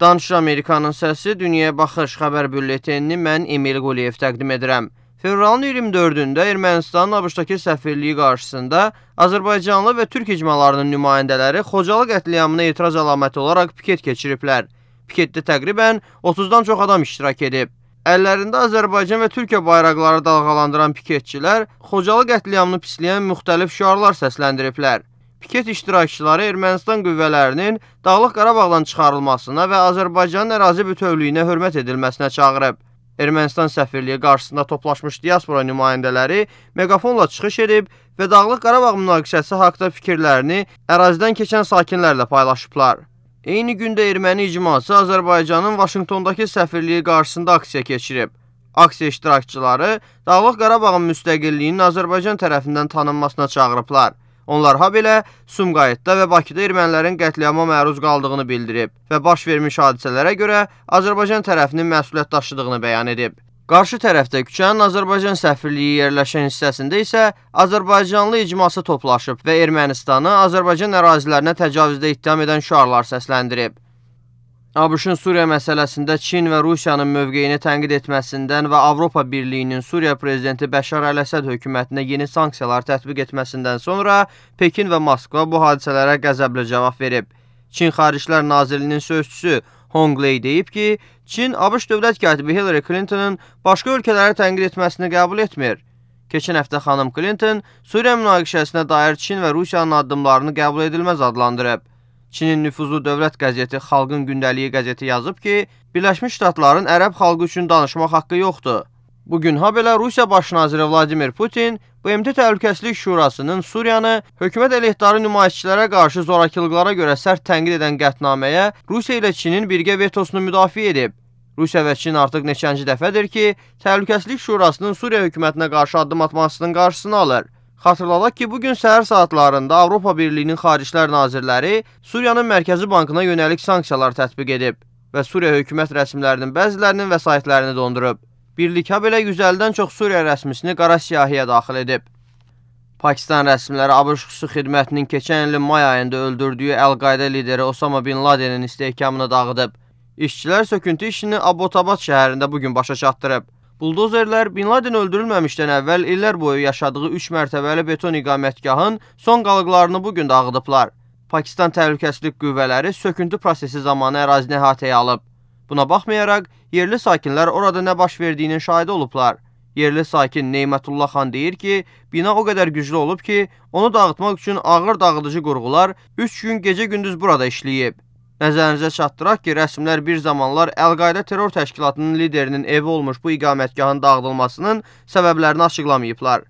Danışır Amerikanın səsi, Dünyaya Baxış xəbər bülletenini mən Emil Quliyev təqdim edirəm. Fevralın 24-də Ermənistanın ABŞ-dakı səfirliyi qarşısında Azərbaycanlı və Türk icmalarının nümayəndələri Xocalı qətliamına etiraz əlaməti olaraq piket keçiriblər. Piketdə təqribən 30-dan çox adam iştirak edib. Əllərində Azərbaycan və Türkiyə bayraqları dalğalandıran piketçilər Xocalı qətliamını pisləyən müxtəlif şüarlar səsləndiriblər. Piket iştirakçıları Ermənistan qüvvələrinin Dağlıq Qarabağdan çıxarılmasına və Azərbaycanın ərazi bütövlüyünə hörmət edilməsinə çağırıb. Ermənistan səfirliyi qarşısında toplaşmış diaspora nümayəndələri megafonla çıxış edib və Dağlıq Qarabağ münaqişəsi haqda fikirlərini ərazidən keçən sakinlərlə paylaşıblar. Eyni gündə erməni icması Azərbaycanın Vaşinqtondakı səfirliyi qarşısında aksiya keçirib. Aksiya iştirakçıları Dağlıq Qarabağın müstəqilliyinin Azərbaycan tərəfindən tanınmasına çağırıblar. Onlar habelə Sumqayıtda və Bakıda ermənilərin qətliama məruz qaldığını bildirib və baş vermiş hadisələrə görə Azərbaycan tərəfinin məsuliyyət daşıdığını bəyan edib. Qarşı tərəfdə küçənin Azərbaycan səfirliyi yerləşən hissəsində isə Azərbaycanlı icması toplaşıb və Ermənistanı Azərbaycan ərazilərinə təcavüzdə ittiham edən şüarlar səsləndirib. ABŞ-ın Suriya məsələsində Çin və Rusiyanın mövqeyini tənqid etməsindən və Avropa Birliyinin Suriya prezidenti Bəşar Əl-Əsəd hökumətinə yeni sanksiyalar tətbiq etməsindən sonra Pekin və Moskva bu hadisələrə qəzəblə cavab verib. Çin Xaricilər Nazirliyinin sözçüsü Hong Lei deyib ki, Çin ABŞ dövlət katibi Hillary Clinton'ın başqa ölkələri tənqid etməsini qəbul etmir. Keçən həftə xanım Clinton Suriya münaqişəsinə dair Çin və Rusiyanın addımlarını qəbul edilməz adlandırıb. Çinin nüfuzlu dövlət qəzeti Xalqın Gündəliyi qəzeti yazıb ki, Birləşmiş Ştatların ərəb xalqı üçün danışmaq haqqı yoxdur. Bugün habelə Rusiya Baş naziri Vladimir Putin BMT Təhlükəsizlik Şurasının Suriyanı hökumət əleyhdarı nümayişçilərə qarşı zorakılıqlara görə sərt tənqid edən qətnaməyə Rusiya ilə Çinin birgə vetosunu müdafiə edib. Rusiya və Çin artıq neçənci dəfədir ki, Təhlükəsizlik Şurasının Suriya hökumətinə qarşı addım atmasının qarşısını alır. Xatırladaq ki, bugün səhər saatlarında Avropa Birliyinin Xaricilər Nazirləri Suriyanın Mərkəzi Bankına yönəlik sanksiyalar tətbiq edib və Suriya hökumət rəsmilərinin bəzilərinin vəsaitlərini dondurub. Birlik habelə 150-dən çox Suriya rəsmisini qara siyahıya daxil edib. Pakistan rəsmiləri ABŞ xüsusi xidmətinin keçən ilin may ayında öldürdüyü Əl-Qayda lideri Osama Bin Ladenin istehkamını dağıdıb. İşçilər söküntü işini Abbottabad şəhərində bugün başa çatdırıb. Buldozerlər Bin Laden öldürülməmişdən əvvəl illər boyu yaşadığı 3 mərtəbəli beton iqamətgahın son qalıqlarını bugün dağıdıblar. Pakistan Təhlükəsizlik Qüvvələri söküntü prosesi zamanı ərazini əhatəyə alıb. Buna baxmayaraq, yerli sakinlər orada nə baş verdiyinin şahidi olublar. Yerli sakin Neymətullah xan deyir ki, bina o qədər güclü olub ki, onu dağıtmaq üçün ağır dağıdıcı qurğular 3 gün gecə-gündüz burada işləyib. Nəzərinizə çatdıraq ki, rəsmilər bir zamanlar Əl-Qayda terror təşkilatının liderinin evi olmuş bu iqamətgahın dağıdılmasının səbəblərini açıqlamayıblar.